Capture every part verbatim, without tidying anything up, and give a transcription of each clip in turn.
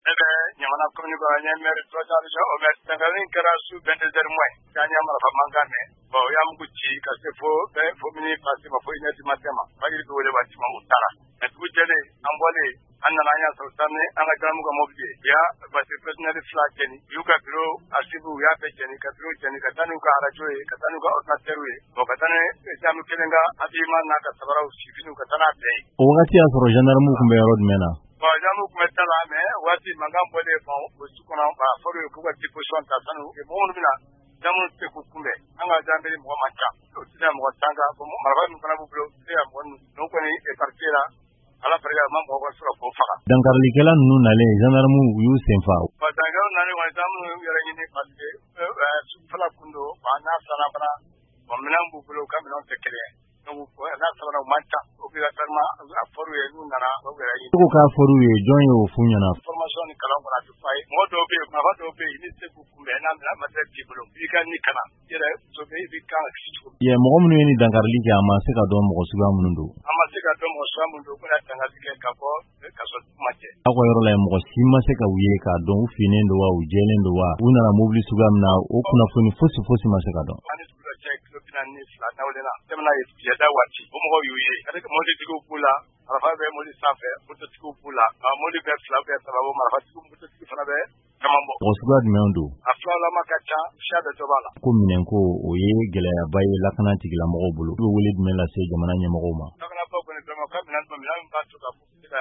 Ne bɛ Ɲamana commune kɔnɔ, n ye maire, troisième adjoint au maire. Dankari kɛra su vingt-deux heures moins k'an ye marifa mankan mɛn. Bon, u y'a mugu ci ka se fo fo minuit passé ma, fo une heure du matin ma. Fajiri bɛ wele waati ma, u taara. Mais dugu jɛlen, an bɔlen, an nana, an y'a sɔrɔ taa ni an ka gendarme ka mobili ye. U y'a voiture personnelle fila jeni, u y'u ka bureau archive, u y'a bɛɛ jeni, ka bureau jeni, ka taa n'u ka radio ye, ka taa n'u ka ordinateur ye. Bon, ka taa ni gendarme kelen ka habillement n'a ka sabaraw, sifiniw, ka taa n'a bɛɛ ye. O wagati y'a sɔrɔ gendarme tun bɛ yɔrɔ jumɛn na? Bon, gendarme tun bɛ ta la, mais waati mankan bɔlen, bon, o su kɔnɔ, a fɔra u ye k'u ka disposition ta sanu mɔgɔ minnu bɛna, gendarme tɛ se k'u kunbɛn. An ka gendarmerie mɔgɔ man ca, o tɛ se ka mɔgɔ tan kan. Marifa min fana b'u bolo, u tɛ se ka mɔgɔ ninnu kɔni écarté la. Ala barika, ma mɔgɔ sɔrɔ k'o faga. Dankarikɛla ninnu nalen, gendarme u y'u sen fa. Bon, dankarikɛlaw nalen kɔni, gendarme y'u yɛrɛ ɲini parce que sufɛla kun don. Bon, n'a filanan fana, bon, minɛn b'u bolo, u ka minɛnw tɛ kelen ye. Donc n'a sabanan, u man ca, obligatoirement a fɔr'u ye, n'u nana, u yɛrɛ ɲini. E ko k'a fɔr'u ye, jɔn y'o f'u ɲɛna? Formation ni kalan kɔnɔ, a tɛ fɔ a ye. Mɔgɔ dɔw bɛ yen, marifa dɔw bɛ yen, n'i tɛ se k'u kunbɛn n'a minɛn matériel t'i bolo, i ka ni kana i yɛrɛ sauver, i b'i kan ka kisi cogo. Yɛ mɔgɔ minnu ye nin dankarili kɛ, a ma se ka dɔn mɔgɔ suguya minnu don? An ma se ka dɔn mɔgɔ suguya minnu don, u bɛna dankari kɛ ka bɔ ka sɔrɔ dugu ma jɛ. Aw ka yɔrɔ la yen, mɔgɔ si ma se ka u ye k'a dɔn u finnen don wa, u jɛlen don wa, u nana mobili suguya min na, o kunnafoni fosi fosi ma se ka dɔn? An ni dugu dɔ cɛ kilo bi naani ni fila dawulen na, tɛmɛna ye jɛda waati, o mɔgɔw y'u ye. Mɔbilitigiw b'u la, marifa bɛ mobili sanfɛ, mototigiw b'u la, mobili bɛ fila bɛ saba bɔ, marifatigiw, mototigi fana bɛ caman bɔ. Mɔgɔ suguya jumɛn don? A filalama ka ca, siya bɛɛ dɔ b'a la. Ko minɛnko, o ye gɛlɛyaba ye lakana tigilamɔgɔw bolo. I bɛ wele jumɛn lase jamana ɲɛmɔgɔw ma? Lakanabaaw kɔni, vraiment, ka minɛn minɛn min b'a to ka se ka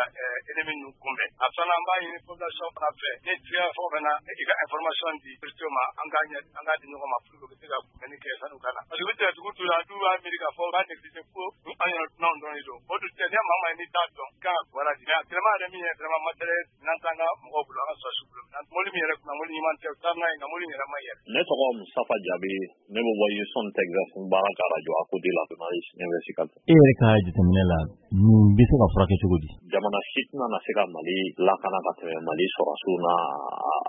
ennemi ninnu kunbɛn. A filanan, an b'a ɲini population fana fɛ, ni tiga fɛn o fɛn na, i ka information di autorités ma, an k'a ɲɛ, an k'a di ɲɔgɔn ma pour que u bɛ se ka kunbɛnni kɛ san'u ka na. Parce que u bɛ tigɛ dugu la, du b'a miiri k'a fɔ u b'a négliger ko an yɛrɛ dunanw dɔrɔn de don. O dun tɛ, ni maa maa n'i t'a dɔn, i kan ka kibaruya di. Mais actuellement yɛrɛ, min ye vraiment matériel, minɛn t'an ka mɔgɔw bolo, an ka sɔrɔdasiw bolo. Mobili min yɛrɛ kunna, mobili ɲuman tɛ, u taa n'a ye, nka mobili yɛrɛ ma yɛrɛ. Ne tɔgɔ Mustafa Jabi, ne bɛ bɔ Houston, Texas, n baara kɛ radio à côté la, journaliste investigateur. E yɛrɛ ka jateminɛ la, nin bɛ se ka furakɛ cogo di? Jamana si tɛna na se ka Mali lakana ka tɛmɛ Mali sɔrɔdasiw n'a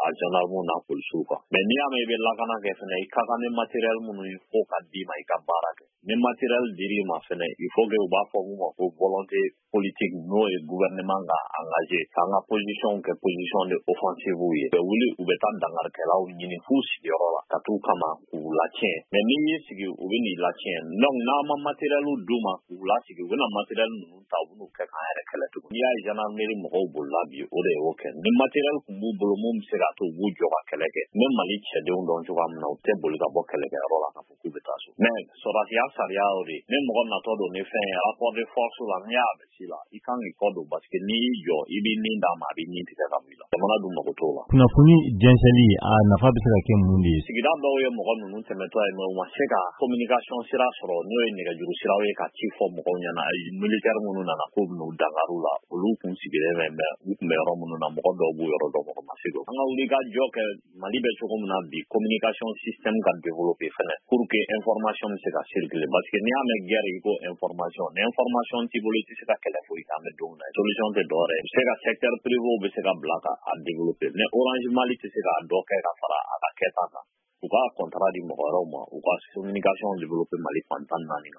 a gendarmew n'a polisiw kan. Mais n'i y'a mɛn i bɛ lakana kɛ fɛnɛ, i ka kan ni matériel minnu ye, fo ka d'i ma i ka baara kɛ. Ni matériel dir'i ma fɛnɛ, il faut que u b'a fɔ mun ma ko volonté politique, n'o ye gouvernement ka engagé k'an ka position kɛ position de offensive ye. U bɛ wuli, u bɛ taa dangarikɛlaw ɲini f'u sigiyɔrɔ la ka t'u kama k'u latiɲɛ. Mais n'i y'i sigi, u bɛ n'i latiɲɛ. Donc n'an ma matériel d'u ma k'u lasigi, u bɛna matériel ninnu ta, u bɛn'u kɛ k'an yɛrɛ kɛlɛ tugun. N'i y'a ye gendarmerie mɔgɔw bolila bi, o de y'o kɛ. Ni matériel tun b'u bolo mun bɛ se k'a to u b'u jɔ ka kɛlɛ kɛ, n bɛ Mali cɛdenw dɔn cogoya min na, u tɛ boli ka bɔ kɛlɛkɛyɔrɔ la k'a fɔ k'u bɛ taa so. Mais sɔrɔdasiya sariya y'o de ye. Ni mɔgɔ natɔ don ni fɛn ye rapport de force la, n'i y'a bɛ la, i kan k'i kɔ don, parce que n'i y'i jɔ, i b'i nin d'a ma, a b'i nin tigɛ ka bɔ i la. Jamana dun mago t'o la. Kunnafoni jɛnsɛnli, a nafa bɛ se ka kɛ mun de ye? Sigida dɔw ye mɔgɔ ninnu tɛmɛtɔ ye, mais u ma se ka communication sira sɔrɔ, n'o ye nɛgɛjuru siraw ye, ka ci fɔ mɔgɔw ɲɛna. Militaire minnu nana k'u bɛn'u dangaru la, olu kun sigilen bɛ, mais u tun bɛ yɔrɔ minnu na, mɔgɔ dɔw b'u yɔrɔ dɔn, mɔgɔ ma se k'o. An ka wuli ka jɔ kɛ Mali bɛ cogo min na bi, communication système ka développer fɛnɛ pour que information bɛ se ka circuler, parce que n'i y'a mɛn guerre, i ko information. Ni information t'i bolo, i tɛ se ka kɛlɛ foyi kɛ. An bɛ don min na, solution tɛ dɔwɛrɛ ye. Se ka secteur privé bɛ se ka bila ka a développer, mais Orange Mali tɛ se k'a dɔ kɛ ka fara a ka kɛta kan. U ka contrat di mɔgɔ wɛrɛw ma, u ka communication développer Mali fan tan ni naani kan.